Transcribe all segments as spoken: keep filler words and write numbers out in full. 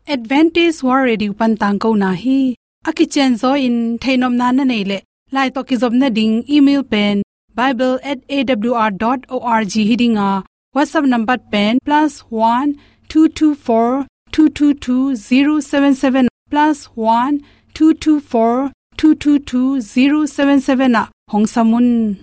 Adventist World Radio pan tangkona hi. A kicianzaw in theihnopna na neih leh, lai tawh kizopna ding email pen bible at A W R dot org hi ding a, WhatsApp number pen plus one two two four two two two zero seven seven, plus one two two four two two two zero seven seven ah hong sam un.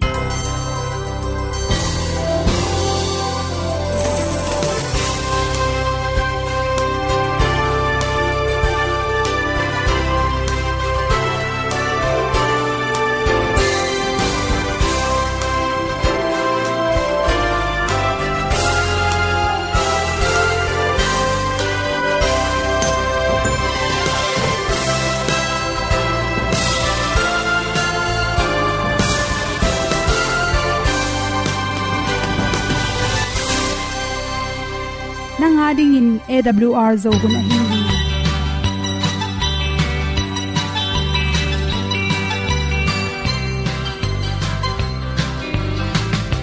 Nang a dingin A W R Zo hun ahi hi.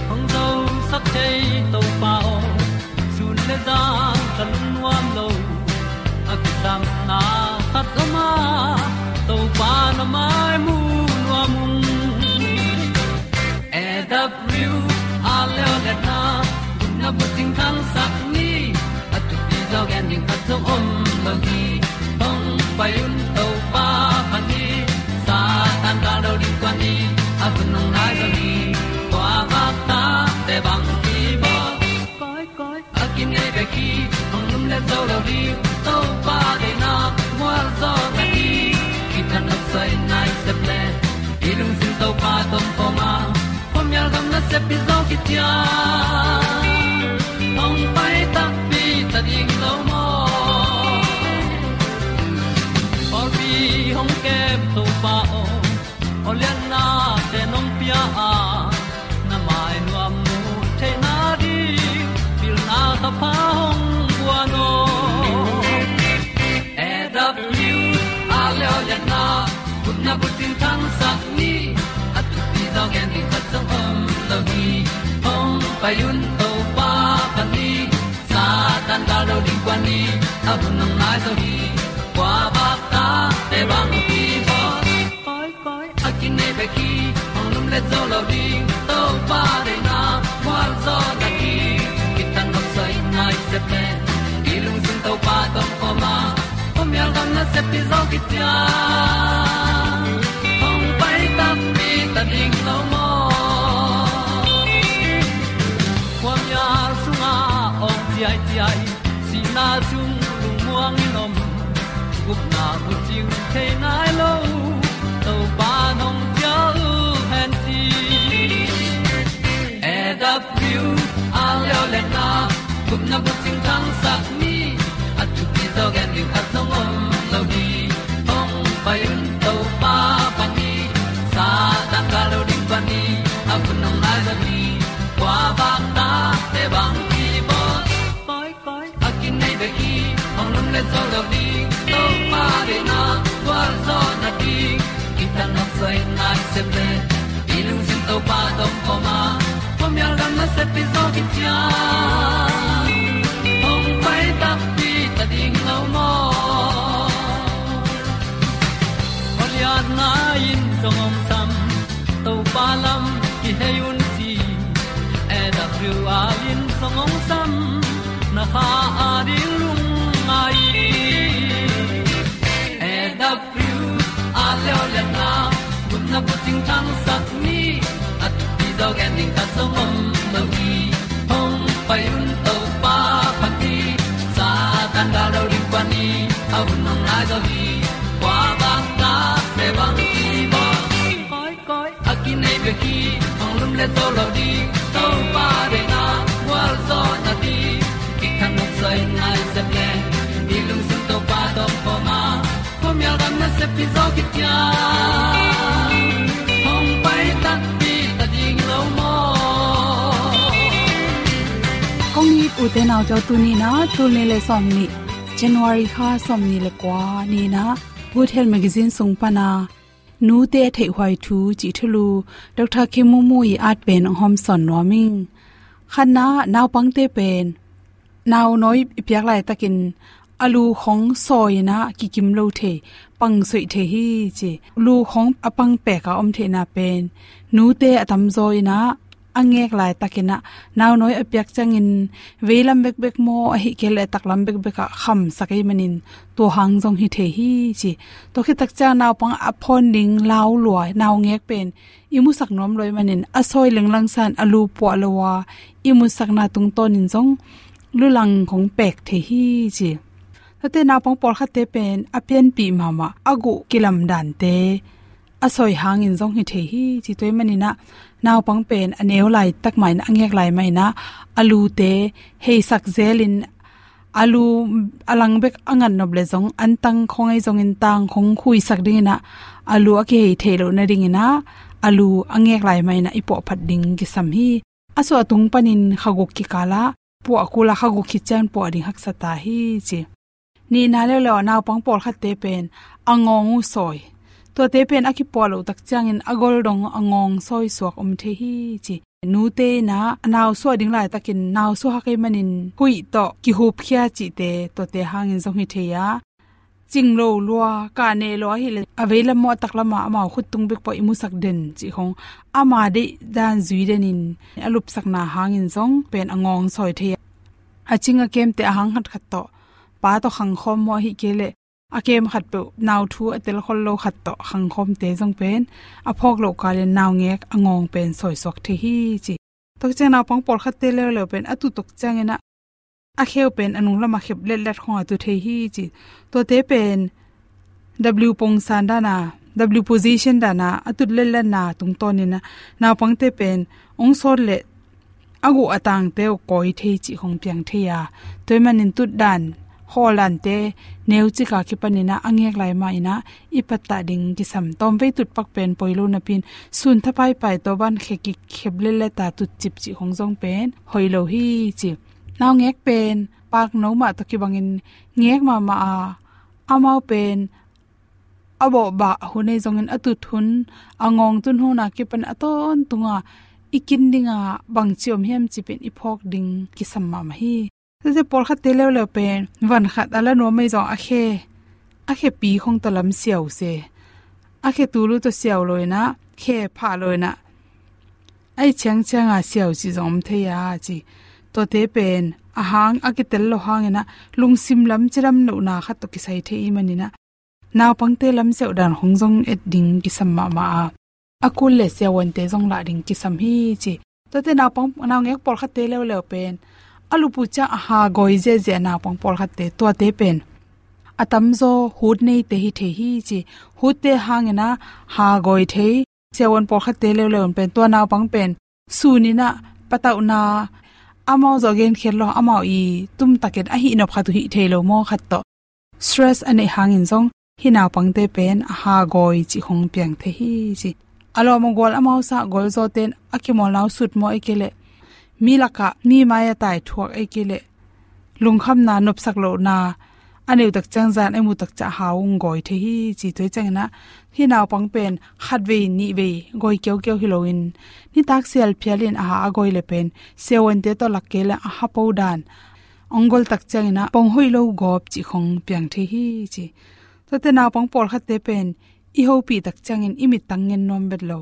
Hong zosak thei Topa aw, sun le zan ka lungnuam lo. A kisapna khat om a, Topa na mai mu nuam ung. A W R Leo le na, gupna bucing thangsak ni, a thupi zaw gen ding khat zong om lo hi. Hong pai un Topa pan hi, Satan gal do ding kuan hi, a hun hong nai zo hi. Kua vak ta te bang hi bawl. Koi, koi, a kinei bek hi, hong lum le zo lo ding, Topa deihna mual zaw na hi. Kitang nok soi nai sep le, i lungsim Topa tawh kawm a, khuamial gam nasep hi zaw kician. Hong pai takpi ta ding lo maw? Pawlpi hong kem Topa aw, aw lianna te nong pia a, na mai nuam mu theihna ding, pilna thapha hong guan aw. A W R Leo le na, gupna bucing thangsak ni, a thupi zaw gen ding khat zong om lo hi. Hong pai un Topa pan hi, Satan gal do ding kuan hi, a hun hong nai zo hi. Kua vak ta te bang hi bawl. Koi, koi, a kinei bek hi, hong lum le zo lo ding, Topa deihna mual zaw na hi. Kitang nok soi nai sep le, i lungsim Topa tawh kawm a, khuamial gam nasep hi zaw kician. Hong pai takpi ta ding lo maw? Khuamial sungah awng ciaiciai, sihna sung lungmuang in om, gupna bucing thei nai lo, Topa nong cial hen ci. A W R Leo le na, gupna bucing thangsak ni, a thupi zaw gen ding khat zong om lo hi. Hong pai un Topa pan hi, Satan gal do ding pan hi, a hun hong nai zo hi. Kua vak ta te bang hi bawl. Koi, koi, a kinei bek hi, hong lum le zo lo ding, Topa deihna gual zaw na ding. Kitang nok soi nai sep le, i lungsim Topa tawh kawm a, khuamial gam nasep hi zaw kician. Hong pai takpi ta ding lo maw? Aw lianna in zong hong sam, Topa lam kihei un ci. A W R in zong hong sam, na kha a ding lungngai. A W R Leo le na, gupna bucing thangsak ni, a thupi zaw gen ding khat zong om lo hi. Hong pai un Topa pan hi, Satan gal do ding kuan hi, a hun hong nai zo hi. Kua vak ta te bang hi bawl. Koi, koi, a kinei bek hi, hong lum le zo lo ding, Topa deihna gual zaw na ding. Kitang nok soi nai sep le, i lungsim Topa tawh kawm a, khuamial gam nasep hi zaw kician. Hong pai takpi ta ding lo maw? Kong it ute naute aw, tuni in ah tul nih le sawmnih, January kha sawmnih le kua ni in ah, Good Health Magazine sung pan a, nute theihhuai thu cih thulu, Doctor Khem Mung Mung ii at pen hong hawmsawn nuam ing. Khatna, naupangte pen nau nawi i piak laitakin a lu khong sawi in ah kikim lo thei, pang soih thei hi ci. Lu khong a pang pek a om theihna pen nute a tamzaw in ah a ngek laitakin ah naunawi a piak ciangin veilam bekbek maw, ahih kei leh taklam bekbek ah khamsak ahih manin tua hang zong hi thei hi ci. Tua khit tak ciang naupang a phawn ding lau lua naungek pen i musak nuam lo ahih manin a sawi lenglang san a lu puah lo a i musakna tungtawnin zong lulang khong pek thei hi ci. Tuate naupang pawlkhatte pen a pianpih mahmah a guh kilam dante a sawi hangin zong hi thei hi ci. Tua ahih manin ah naupang pen a neu laitak mah in, a ngek lai mah in ah a lute heisak zelin a lu a lang bek a ngat nop leh zong antang khong ahi zongin tang khong khuisak dingin ah a lu a kihei theih loh nadingin ah a lu a ngek lai mah in ah i puahphat ding kisam hi. A suah tung panin khaguk kikal ah puah kul a, khaguk khit ciang puah ding haksa ta hi ci. Nihna leuleu ah naupang pawlkhatte pen a ngawng uh sawi, tuate pen a kipuah loh tak ciangin a gol dong a ngawng sawi suak om thei hi ci. Nute in ah a nau suah ding laitakin nau suah hak ahih manin huih tawh kihupkhia cihte, tuate hangin zong hi thei a, cing lo lua, kah neh lo ahih leh a veilam maw a taklam ah amau khut tung bek pawh i musak den cih khong ama deih dan zui denin a lupsakna hangin zong pen a ngawng sawi thei a, a cing a kemte a hang khatkhat tawh pa tawh khangkhawm maw, ahih kei leh a kem khat peuh nau thu a telkhol lo khat tawh khangkhawmte zong pen a phawk loh kalin naungek a ngawng pen sawisuak thei hi ci. Tua ciang naupang pawlkhatte leuleu pen a tut tak ciangin ah a kheu pen a nunglam a khep letlet khong a tut thei hi ci. Tuate pen W pongsan dan a, W position dan a a tut letletna tungtawnin ah naupangte pen ong sawt leh a guh a tangte uh kawi thei cih khong piang thei a, tua ahih manin tut dan, khawl dante neu cik a kipanin ah a ngek lai mah in ah i pattah ding kisam. Tawmvei tut pak pen poi lo napi-in sun tha paipai, tua ban khe kikhep letlet a tutcip cih khong zong pen hoih lo hi ci. Naungek pen pakno mah tawh kibangin ngek mahmah a, amau pen a bawhbah hun ahi zongin a tut hun, a ngawng tun hun a kipan a tawntung a i kin ding a bangci om hiam cih pen i phawk ding kisam mahmah hi. Tuate pawlkhatte leuleu pen van khat a la nuam ahi zong a khe, a khepi khong tawh lam siau se, a khe tul uh tawh siau lo in ah, khe phah lo in ah, a i ciangciang a siau cih zong om thei a ci. Tuate pen a hang a kitel lo hangin ah lungsim lam cidam lohna khat tawh kisai thei ahih manin ah naupangte lam siau dan khong zong et ding kisam mahmah a, a kul leh siavuante zong lah ding kisam hi ci. Tuate naupang, naungek pawlkhatte leuleu pen a lup uh ciang a ha gawi ziahziah naupang pawlkhatte, tuate pen a tamzaw hut neite hi thei hi ci. Hutte hangin ah ha gawi thei siavuan pawlkhatte leuleu pen tua naupang pen sun in ah patauhna, amau zawh genkhiat lo, amau i tumtakin a hihnop khat uh hih thei lo maw khat tawh stress a neih hangin zong hih naupangte pen a ha gawi cih khong piang thei hi ci. A lawm a gual amau sa golzawte in a kimawlna uh sut maw, ahih kei leh mi lakah mi mai a tai thuak, ahih kei leh lungkhamna, nopsak lohna, a neu tak ciang zan a i mu tak ciang a ha ong gawi thei hi ci. Tua ciangin ah hih naupang pen khatvei nihvei gawi kiaukiau hi loin nitak sial phialin a ha a gawi leh pen siavuante tawh lak kei leh a ha po dan ong gol tak ciangin ah pong hoih lo gawp cih khong piang thei hi ci. Tuate naupang pawlkhatte pen i hopih tak ciangin i mittang ngen nuam vet lo,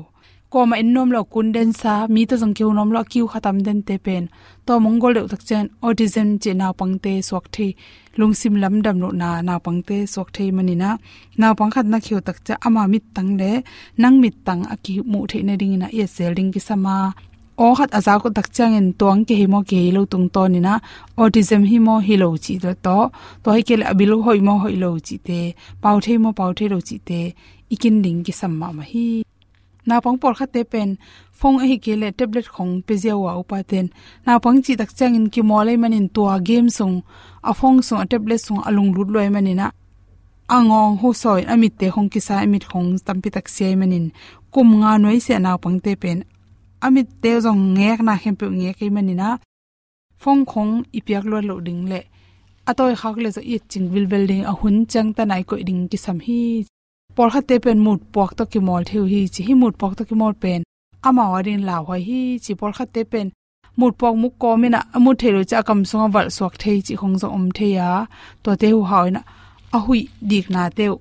kuamah en nuam lo, kun densa, mi tawh zong kiho nuam lo, a kiu kha tam dente pen tawm ong gol deuh tak ciangin autism cih naupangte suak thei, lungsim lamdam lohna naupangte suak thei manin ah naupang khat na khiho tak ciang ama mittang leh nang mittang a kimuh theih nadingin ah i et zel ding kisam a, aw khat a zak uh tak ciangin tua ong kihei maw kihei lo tungtawnin ah autism hi maw hi lo cih tawh, tua hi kei leh a bil hoih maw hoih lo cihte, pau thei maw pau thei lo cihte i kin ding kisam mahmah hi. Naupang pawlkhatte pen phone ahih kei leh tablet khong pia ziau a, upaten naupang cih tak ciangin kimawl ahih manin tua game sung, a phone sung, a tablet sung a lunglut lua ahih manin ah a ngawng hu sawi, a mitte khong kisai, a mit khong tampi tak sia ahih manin kum nga nuai sia naupangte pen a mitte zong ngekna khempeuh ngek ahih manin ah phone khong i piak luat loh ding leh a tawi khak leh zong i et cing vilvel ding, a hun ciangtan a i koih ding kisam hi. Pawlkhatte pen mut puak tawh kimawl thei uh hi ci. Hih mut puak tawh kimawl pen amau adingin lauhuai hi ci. Pawlkhatte pen mutpuak mukawm in ah, a mut theih loh ciang a kam sungah valh suak thei cih khong zong om thei a, tuate huhau in ah a huih diknate uh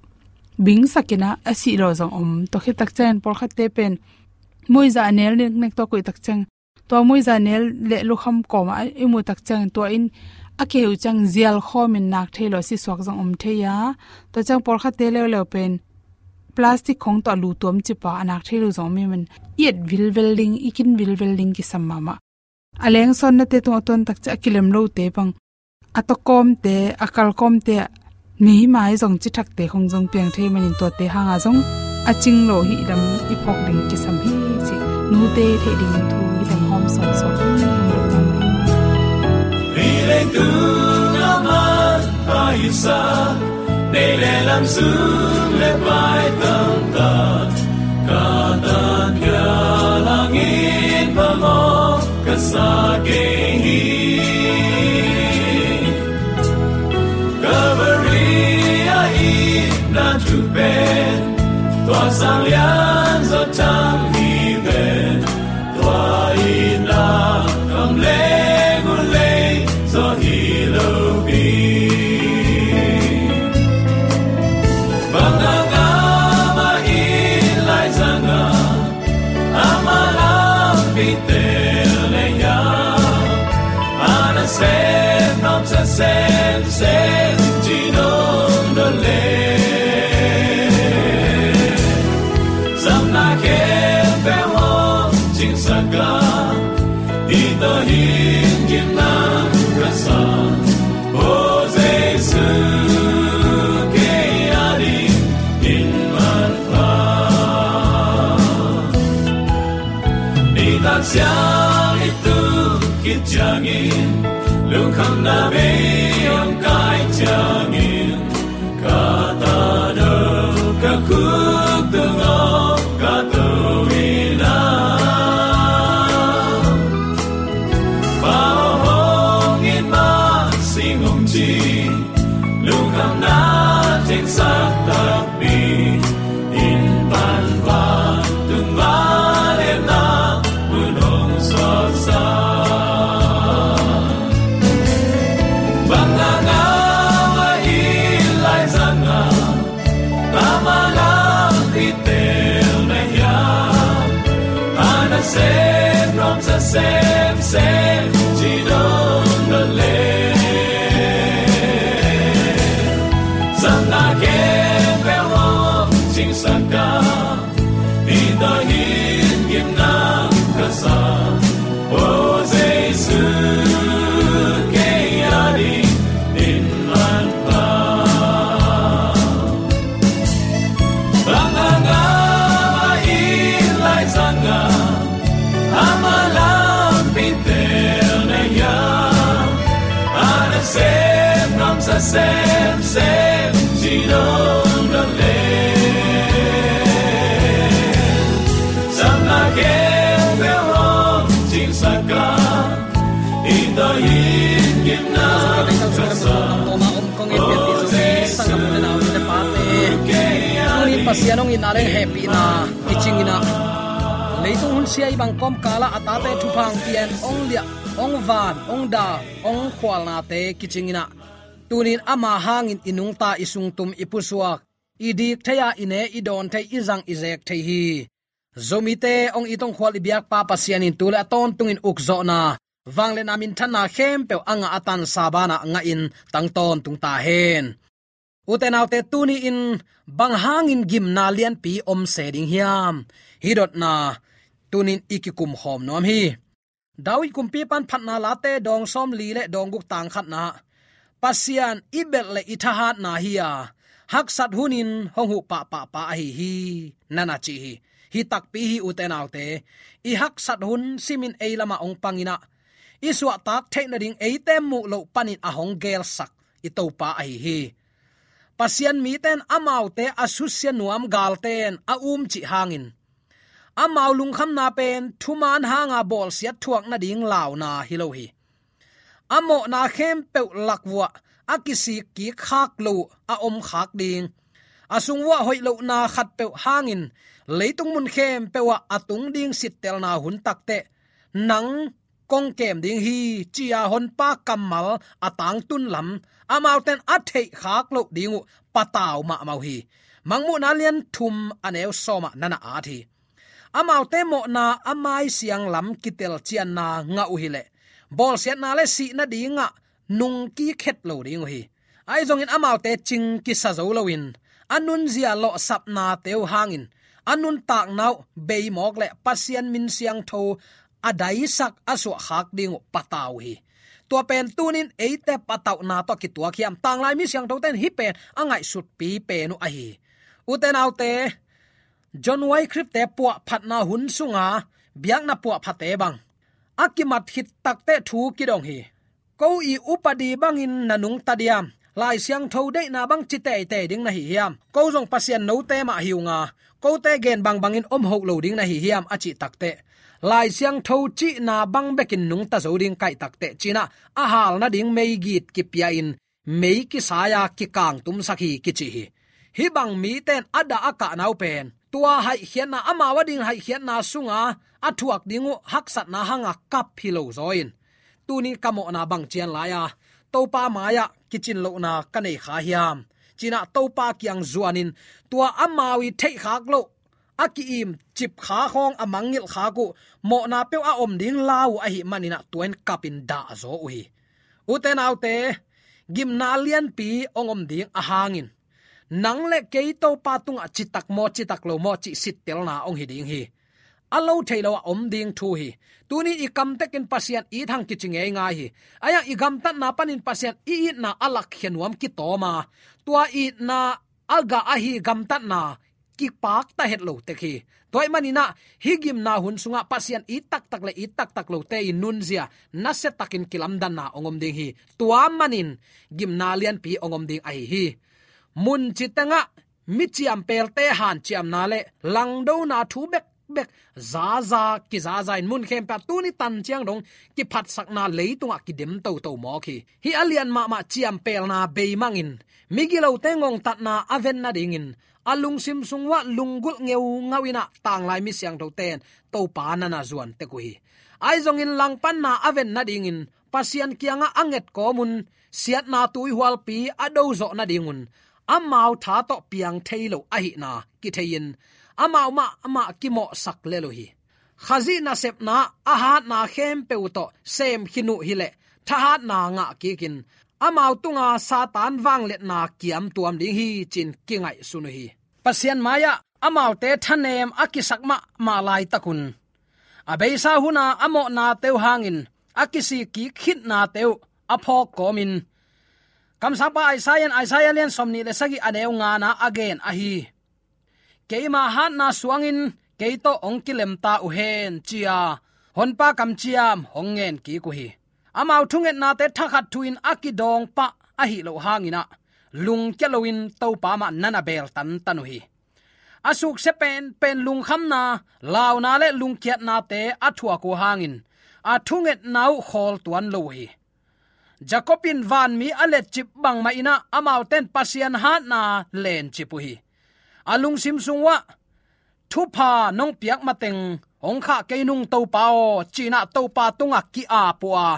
bingsak in ah a sih lawh zong om. Tua khit tak ciangin pawlkhatte pen muiza a nel neknek, tua koih tak ciang, tua muiza nel le lukham kawmah i muh tak ciangin tua in a keh uh ciang zial khawmin nak thei lo a si suak zong om thei a. Tua ciang pawlkhatte leuleu pen plastic khong tawh a lu tuam cip a, a nak thei lo zong om hi man. I et vilvel ding, i kin vilvel ding kisam mahmah. A lengsawnate tungah a tuan tak ciang a kilem lote bang, a tawkawmte, a kalkawmte, meimai zong cithakte khong zong piang thei manin tuate hanga zong a cing lo hi lam i phawk ding kisam hi cih nute theih ding thu hi lam hawm sawnsawn hi. Hih leitung a man paisa, nei le lam sung le pai tamtak, ka tan ka langin phamawh ka sa kei hi. Calvary a itna thu pen tua sang lian zaw tham hi ven. Tua itna kam leng uh lei zaw hi lo pi. Bang a ngam a it lai zanga, ama lampi tel lei a, a nasem nuamsa semsem ci nong dot leh, samna khempeuh hong cingsak a, hih tawh hin gimna ka sa. O Jesu, kei a dingin manpha. Nitak siang i tuk khit ciangin, lungkhamna bei hong kai ciangin, ka tado ka khuk tungah ka to in a, Pa aw hong it mah sing hong ci, lungkhamna tengsak takpi in pan vantung vangliatna mun hong suaksa. Bang a ngam a it lai zanga, ama lampi tel na hiam, a nasem nuamsa semsem ci nong dot leh, samna khempeuh hong cingsak a, hih tawh hin gimna ka sa. O Jesu, kei a dingin manpha. Bang a ngam a it lai zanga, ama lampi tel na hiam, a nasem nuamsa semsem ci nong dot leh, samna khempeuh hong cingsak a, hih tawh hin gimna ka sa. Tuni Pasian hong itna le hehpihna kicing in a, leitung hun sia i bang kawmkal ah a tate thupha hong pia in, hong liah, hong van, hong dal, hong khualnate kicing in a, tunin ama hangin i nungta, i sungtum, i pusuak, i dik thei a, i ne i dawn thei, i zang i zek thei hi. Zomite hong it hong khual i biakpa Pasian in tu le a tawntungin ukzawhna, vangliatna, minthanna khempeuh a ngah a tansa banah ngahin tang tawntung ta hen. Ute naute, tuni-in bang hangin gimna lianpi om se ding hiam? Hih dotna tunin i kikumkhawm nuam hi. David kumpipa in Phatna Late dawng sawmli le dawng guk tang khatna ah, Pasian i belh le i thahatna hi a, haksat hunin hong huh pahpahpa ahi hi, na na ci hi. Hi takpi hi, ute naute. I haksat hun simin ei lamah hong pang in a, i suahtak theih nading eite muh loh panin a hong gelsak i Topa ahi hi. Pasian mite in amaute a susia nuam galte in a umcih hangin, amau lungkhamna pen thumaan hanga bawlsiat thuak nading launa hi lo hi. A mawhna khempeuh lakvuah a kisik kik khak lo a om khak ding, a sungvuah hoih lohna khatpeuh hangin leitung mun khempeuh ah a tung ding sittelna hun takteh nang kong kem ding hi, ci-a Honpa kammal a tangtun lam amaute'n a theihkhak loh ding uh patau mahmah uh hi. Mangmuhna lian thum a neu sawm ah na na at hi. Amaute mawhna a maisiang lam kitelcianna ngah uh hileh bawlsiatna le sihna dingah nungkik het lo ding uh hi. Ahi zongin amaute cing kisa zo loin a nunzia lawhsapnate uh hangin a nuntakna uh beimawk le Pasian min siangtho a daisak a suahkhak ding uh patau uh hi. Tua pen tuni-in eite patauhna tawh kituak hiam? Tanglai mi siangthote'n hih pen a ngaihsutpi pen uh ahi hi. Ute naute, John Wycliffe-te puahphatna hun sunga biakna puahphate bang a kimat khit takteh thu kidong hi. Ko i upadi bangin na nungta diam? Lai Siangtho deihna bang ci teitei ding na hi hiam? Ko zong Pasian note mah hi unga, kote gen bangbangin om hoh lo ding na hi hiam, a cih takteh, Lai Siangtho cihna bang bekin nungta zo ding ka hih takteh, ci-in ah a hal nading meigit kipia-in mei kisai-a kikangtumsak hi kici hi. Hih bang mite'n a dah a kahna uh pen tua haihkhiatna, amau ading haihkhiatna sunga a thuak ding uh haksatna hanga kap hi lo zaw in, tuni-in ka mawhna bang cian lai-a Topa mai-ah kicin lohna ka nei kha hiam, ci-in ah Topa kiang zuanin, tua amau i theihkhak loh a ki-im cip kha khawng a mangngilh khak uh mawhna peuh a om ding lau uh ahih manin ah tua-in kapin dah zaw uh hi. Ute naute, gimna lianpi hong om ding ahangin nang le kei Topa tungah citak maw, citak lo maw cih sittelna hong hi ding hi. A lo thei lo a om ding thu hi. Tuni-in i kamtekin Pasian it hang kici ngeingai hi. Ahi hang i gamtatna panin Pasian i itna a lakkhia nuam kitawm a, tua itna a gah ahi gamtatna kipakta het lo tek hi. Tua ahih manin ah hih gimna hun sungah Pasian it taktak le it taktak lote i nunzia nasiatakin kilamdanna hong om ding hi. Tua manin gimna lianpi hong om ding ahi hi. Mun ci tengah mi ciampelte hanciamna le langdona thu bekbek zaza kizaza in mun khempeuh ah tuni tan ciang dong kiphatsakna leitungah kidem toto mawk hi. Hih a lian mahmah ciampelna beimangin migilote ngongtatna a ven nadingin a lungsim sung uah lunggulh ngeungau in ah tanglai mi siangthote'n Topa na na zuan tek uh hi. Ahi zongin langpanna a ven nadingin Pasian kiangah a nget kawm un, siatna tuihualpi a do zawh nadingun amau tha tawh piang thei lo ahihna kithei-in amau mahmah kimawhsak lel uh hi. Khazih nasepna a hatna khempeuh tawh sem khin uh hileh thahatna ngah kikin amau tunga Satan vangliatna kiamtuam ding hi, ci-in kingaihsun uh hi. Pasian mai-ah amaute thanem a kisak mahmah laitakun a beisa huna a mawhnate uh hangin a kisikkik khitnate uh a phawk kawmin kamsangpa Isaiah in Isaiah lian sawmnih le sagih a neu ngana a gen ahi, keima hatna suangin kei tawh hong kilemta uh hen, ci-a Honpa kamciam hong ngen kik uh hi. Amau thungetnate thakhat thu-in a kidawng pah ahi loh hangin ah lungkia loin Topa mah na na beel tantan uh hi. A suksia penpen lungkhamna, launa le lungkiatnate a thuak uh hangin a thungetna uh khawl tuan lo uh hi. Jacob in vanmi a letcip bangmah in ah amaute'n Pasian hatna lencip uh hi. A lungsim sung uah thupha nong piak mateng hong khah kei nung Topa aw, ci-in ah Topa tungah ki-ap uh a,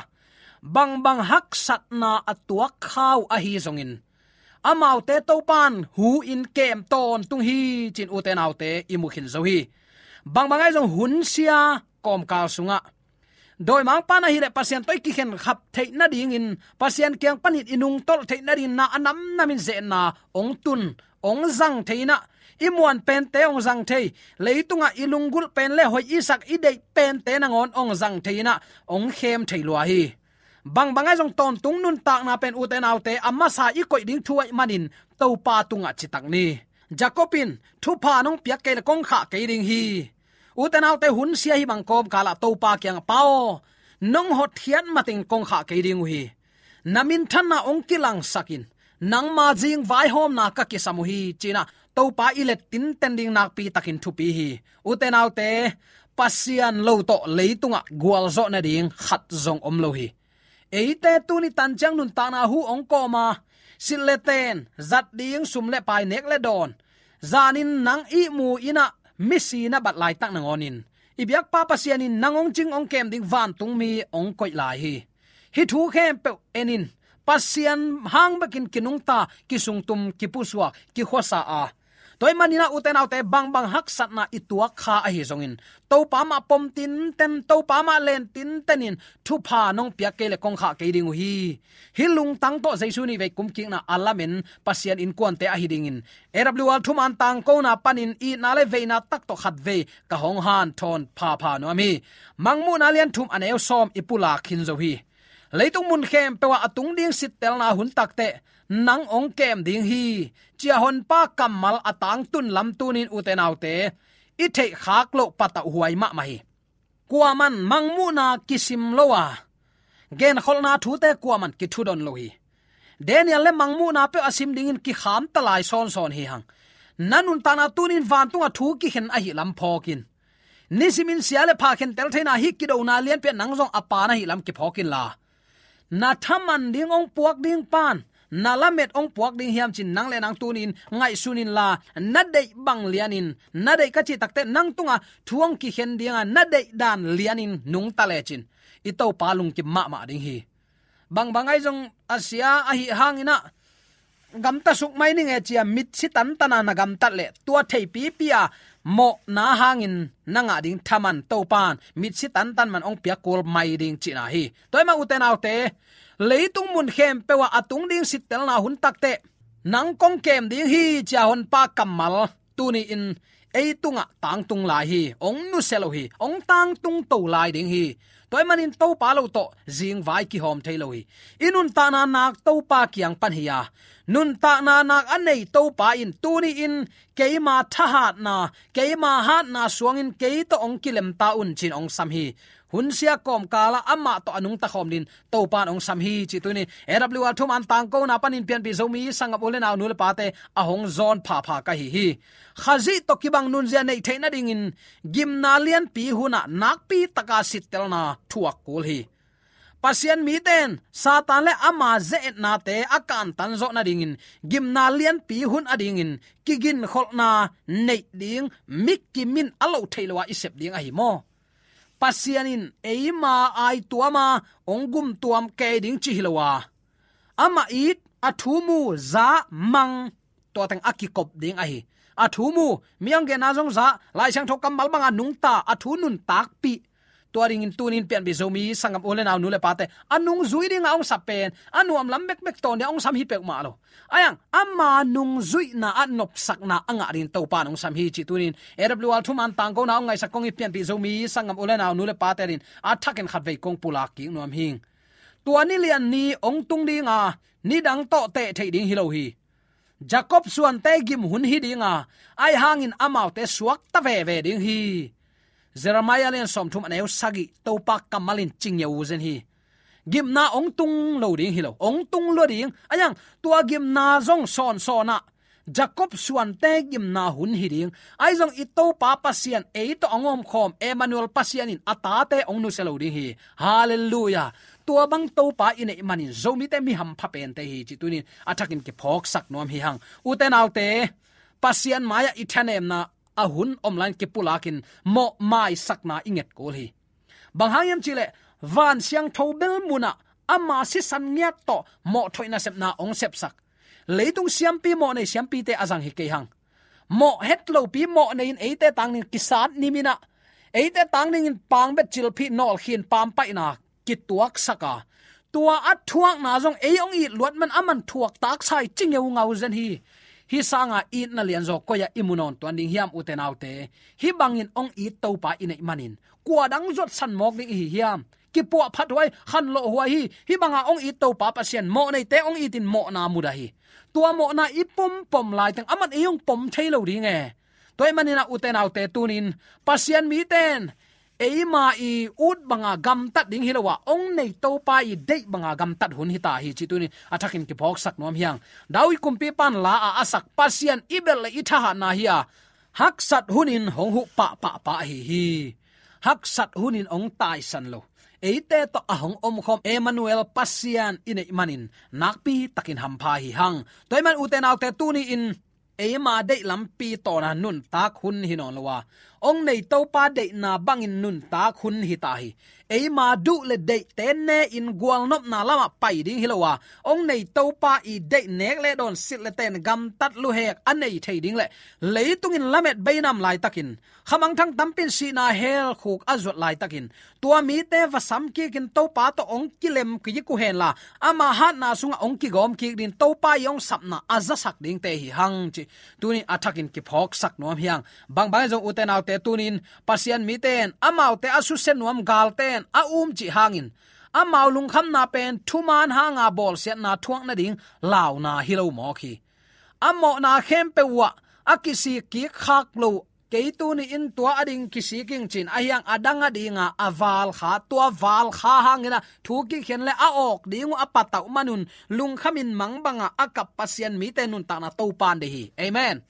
bangbang haksatna a tuak kha uh ahi zongin amaute Topa'n hu-in kem tawntung hi, ci-in ute naute i mu khin zo hi. Bangbang ahi zong hunsia kawmkal sungah dawimangpa'n ahih leh Pasian tawh i kikhenkhap theih nadingin, Pasian kiang panin i nungtolh theih nadingin na a namnamin ze-etna hong tun, hong zang thei in ah, i muan pente hong zang thei, leitungah i lunggulh pen le hoih i sak i deih pente nangawn hong zang thei in ah hong khem thei lua hi. Bangbang ahi zong tawntung nuntakna pen ute naute a masa i koih ding thu ahih manin Topa tungah citak ni. Jacob in thupha nong piak kei leh kong khah kei ding hi. Ute naute, hunsia hih bang kawmkal ah Topa kiangah, Pa aw, nong hotkhiat mateng kong khah kei ding uh hi. Na minthanna hong kilangsak in, nangma zing vaihawmna ka kisam uh hi, ci-in ah Topa i let tinten ding nakpi takin thupi hi. Ute naute, Pasian lo tawh leitungah gualzawh nading khat zong om lo hi. Eite tuni tan ciang nuntakna hu hong kawm a, silh le ten, zat ding sum le pai, nek le dawn, zanin nang ihmu in ah misi na bat laitak nangawnin i biakpa Pasian in nang hong cing hong kem ding vantung mi hong koih lai hi. Hih thu khempeuh en in, Pasian hang bekin kinungta, kisungtum, kipusuak, kikhuasa a, tua ahih manin ah, ute naute, bangbang haksatna i tuak kha ahi zongin, Topa mah pom tinten, Topa mah len tinten in, thupha nong piak kei leh kong khah kei ding uh hi. Hih lungtang tawh Jesu nih vei kumkikna a lamen Pasian innkuante ahi dingin, A W R thuman tangkona panin itna le veina tak tawh khatvei ka hong hanthawn phapha nuam hi. Mangmuhna lian thum, a neu sawm i pulak khin zo hi. Leitung mun khempeuh ah a tung ding sittelna hun takteh nang hong kem ding hi, ci-a Honpa kammal a tangtun lam tuni-in, ute naute, i theihkhak loh patauhhuai mahmah hi. Kuaman mangmuhna kisim lo a, genkholhna thute kuaman kithudon lo hi. Daniel le mangmuhna peuh a sim dingin kikham ta lai sawnsawn hi hang. Na nuntakna tuni-in vantungah thu kikhen ahih lam phawk in. Nisimin sia le pha khentel theihna, hih kidona lianpi-ah nang zong a pha na hih lam kiphawk inla, na thaman ding hong puak ding pan, na lamet hong puak ding hiam ci-in nang le nang tuni-in ngaihsun inla, na deih bang lianin, na deih ka cih takteh nang tungah thu hong kikhen ding a, na deih dan lianin nungta lecin, i Topa lungkim mahmah ding hi. Bangbang ahi zong a sia ahih hangin ah, gamta suk mai ning e ci-a mitsi tantan a na gamtat leh, tua theipipi a mawhna hangin na ngah ding thaman Topan mitsi tantan man hong piak kul mai ding cihna hi. Tua ahih manin, ute naute, leitung mun khempeuh ah a tung ding sittelna hun takteh nang kong kem ding hi, ci-a Honpa kammal tuni-in ei tungah tangtung lai hi. Hong nusia lo hi, hong tangtung to lai ding hi. Tua ahih manin Topa lo tawh zingvai kihawm thei lo hi. I nuntakna nak Topa kiang pan hi a, nuntakna nak a nei Topa in tuni-in keima thahatna, keima hatna suangin kei tawh hong kilem ta un, ci-in hong sam hi. Hun sia kawmkal ah amah tawh a nungta khawm dingin Topan hong sam hi, cih tuni-in A W R thuman tangkona panin pianpih Zomi sanggam u le nau, nu le pate a hong zawn phapha ka hi hi. Khazih tawh kibang nunzia neih theih nadingin gimna lianpi hun ah nakpi taka sittelna thuak kul hi. Pasian mite in Satan le ama ze-etnate a kantan zawh nadingin gimna lianpi hun adingin kiginkholhna neih ding, mi kimin a loh theih loh a i sep ding ahi maw? Pasian in eima aituam a, hong gumtuam kei ding cih hi lo a, amah it, a thu mu, za, mang, tua teng a kikop ding ahi. A thu mu, mi hong genna zong za, Lai Siangtho kammal banga nungta, a thu nuntakpih. Tua dingin tuni-in pianpih Zomi sanggam u le nau, nu le pate, a nungzui dinga hong sap pen a nuam lam bekbek tawh nia hong sam hi peuhmah lo. Ahi hang ama nungzuihna ah nopsakna a ngah dingin Topan hong sam hi, cih tuni-in A W R thuman tangkona hong ngaihsak kong it pianpih Zomi sanggam u le nau, nu le pate adingin a thakin khatvei kong pulak kik nuam hing. Tua ni lian ni hong tung dinga, nidang tawh teh theih ding hi lo hi. Jacob suante gim hun hi dinga, ahi hangin amaute suakta veve ding hi. Jeremiah lian sawmthum, a neu sagih, Topa kammal in ci ngeu zen hi. Gimna hong tung lo ding hi lo, hong tung lua ding. Ahi hang tua gimna zong sawnsawn ah, Jacob suante gimna hun hi ding. Ahi zong i Topa Pasian ei tawh hong omkhawm Emmanuel Pasian in a tate hong nusia lo ding hi. Halleluiah. Tua bang Topa i neih manin Zomite mi hampha pente hi, cih tuni-in a thakin kiphawksak nuam hi hang. Ute naute, Pasian mai-ah i thanemna a hun om lai-in kipulakin mawh maisakna i nget kul hi. Bang hang hiam cih leh, van siangtho bel munah ama sisan ngiat tawh mawh thoih nasepna hong sepsak. Leitung siampi, mawh nei siampite a zang hi kei hang. Mawh het lopi mawh nei-in eite tangding kisat nimin ah, eite tangdingin pangbet, cilphih, nawlkhin, pampaihna kituaksak a, tua a thuakna zong ei hong it luat man aman thuak taksa hi, ci ngeungau zen hi. Hih sanga itna lianzaw koi-ah i mu nawn tuan ding hiam, ute naute? Hih bangin hong it Topa i neih manin kua dang zuatsan mawk ding i hi hiam? Kipuahphat huai, khanlawh huai hi. Hih banga hong it Topa Pasian, mawh neite hong itin mawhna mudah hi. Tua mawhna i pompom laiteng aman ei hong pom thei lo ding e. Tua ahih manin ah, ute naute, tuni-in Pasian mite in eima i ut banga gamtat ding hi lo a, hong nei Topa i deih banga gamtat hun hi ta hi, cih tuni-in a thakin kiphawksak nuam hi hang. David kumpipa in la-ah a sak, Pasian i belh le i thahatna hi a, haksat hunin hong huh pahpahpah ahi hi. Haksat hunin hong taisan lo, eite tawh a hong omkhawm Emmanuel Pasian i neih manin nakpi takin hampha hi hang. Tua ahih manin, ute naute, tuni-in eima deih lampi tawna nuntak hun hi nawn lo a, hong nei Topa deihna bangin nuntak hun hi ta hi. Eima duh le deihte ne-in gualnopna lamah pai ding hi lo a, hong nei Topa i deih nek le dawn silh le ten gamtat luhek a nei thei ding le leitungin lamet beinam laitakin, khamangthang tampin sihna hell khuk a zuat laitakin, tua mite va sam kikin Topa tawh hong kilem kik uh henla, ama hatna sungah hong kigawm kik ding, Topa i hong sapna a zasak dingte hi hang cih tuni a thakin kiphawksak nuam hi hang. Bangbang zong ute naute, tunin Pasian mite in amaute a susia nuam galte in a um cih hangin, amau lungkhamna pen thuman hanga bawlsiatna thuak nading launa hi lo mawk hi. A mawhna khempeuh uh ah a kisik kik khak lo, kei tuni in tua ading kisik ing cin, a hiang a dang adinga a valkha, tua valkha hangin a thu kikhen le a awk ding uh a patauh manun lungkhamin mangbanga a kap Pasian mite nuntakna Topa in deih hi. Amen.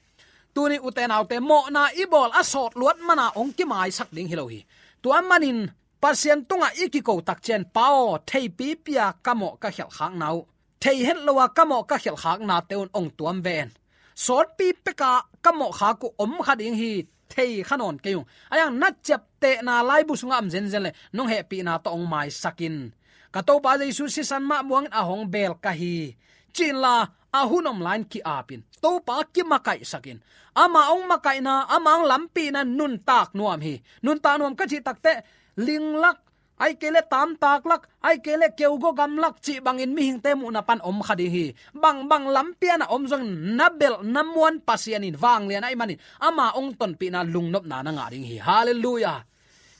Tuni ute naute, mawhna i bawl a sawt luat mana hong kimaisak ding hi lo hi. Tua manin Pasian tungah i kiko takciang, Pa aw, theipi pia ka mawh ka khialhkhakna uh, thei het lo a ka mawh ka khialhkhaknate un hong tuam ven. Sawtpi peka ka mawh khak uh om kha ding hi, thei kha nawn kei ung. A hiang na ciaptehna laibu sungah om zenzen le nong hehpihna tawh hong maisakin, ka Topa Jesu sisan mah muangin a hong beel ka hi, cinla a hun om lai-in ki-apin, Topa kimakaihsakin, ama hong makaihna, ama hong lampihna nuntak nuam hi. Nuntak nuam ka cih takteh, linglak, ai kei le tamtaklak, ai kei le keugo gamlak cih bangin mihingte muhna pan om kha ding hi. Bangbang lampi a na om zongin na belh na muan Pasian in vanglian ahih manin ama hong tonpihna lungnopna na ngah ding hi. Halleluiah.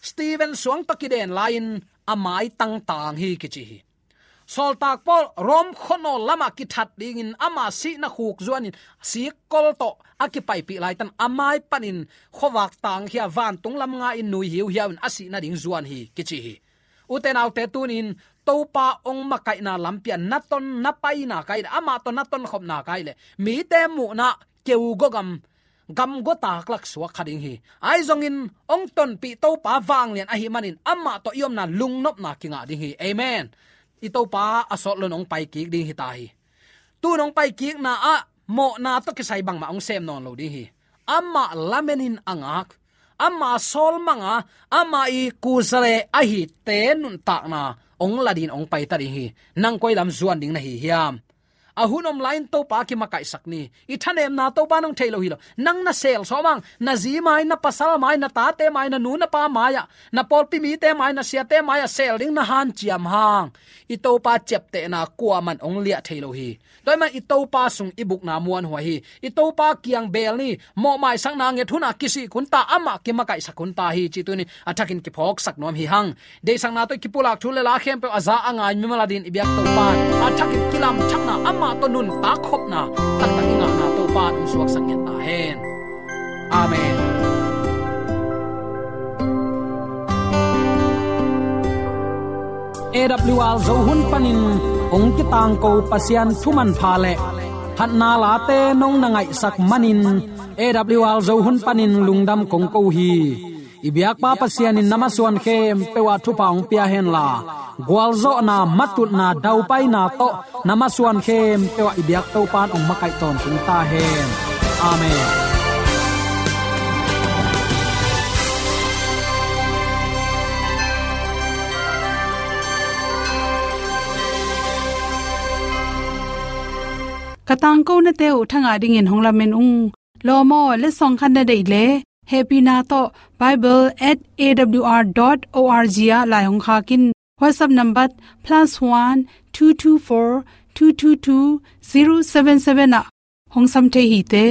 Stephen suang tawh kiden lai-in a mai tangtang hi kici hi. Sawltak Paul Rom khuanawl lamah kithat dingin ama sihna khuk zuanin sikkol tawh a kipaipih laitan a mai panin khuavak tangkhia vantung lam nga-in nui hiuhiau-in a sih nading zuan hi kici hi. Ute naute, tunin Topa hong makaihna lampi ah na ton na paina ka hih leh, amah tawh na tonkhopna ka hih leh, mite muhna keugo gam, gamgo taklak suak kha ding hi. Ahi zongin hong tonpih Topa vanglian ahih manin amah tawh i omna lungnopna kingah ding hi. Amen. I Topa a sawt loin hong paikik ding hi ta hi. Tun hong paikikna ah mawhna tawh kisai bangmah hong sem nawn lo ding hi. Amah lamenin a ngak, ama sawlmanga, ama i kuzale ahite nuntakna hong la dingin hong paita ding hi. Nang koi lam zuan ding na hi hiam? A hun om lai-in Topa kimakaihsak ni. I thanemna Topa in hong thei lo hi lo. Nang na sel sawm hang, na zi mai, na pasal mai, na tate mai, na nu na pa mai-ah, na pawlpi mite mai, na siate mai-ah sel ding na hanciam hang, i Topa ciaptehna kuaman hong liah thei lo hi. Tua ahih manin i Topa sung i bukna muanhuai hi. I Topa kiang beel ni, mawhmaisakna nget hun a kisik hun ta, amah kimakaihsak hun ta hi cih tuni a thakin kiphawksak nuam hi hang. Deihsakna tawh kipulak thu le la khempeuh a za a ngai mimal adingin i biak Topa in a thakin kilamthakna, amah tawh nuntak khopna taktak i ngahna Topa in hong suaksak ngiat ta hen. Amen. A W R Zo hun panin hong kitangko Pasian thu manpha le phatna late nong na ngaihsak manin A W R Zo hun panin lungdam kong ko hi. I biakpa Pasian in na masuan khempeuh ah thupha hong pia henla, gualzawhna, matutna, daupaina tawh na masuan khempeuh ah i biak Topa in hong makaih tawntung ta hen. Amen. Ka tangkonate uh thangah dingin hong lamen ung. Lawm aw, letsong khat na deih leh, hehpihna tawh bible at A W R dot O R G ah lai hong khak in. WhatsApp number plus one two two four two two two zero seven seven ah hong sam thei hi te.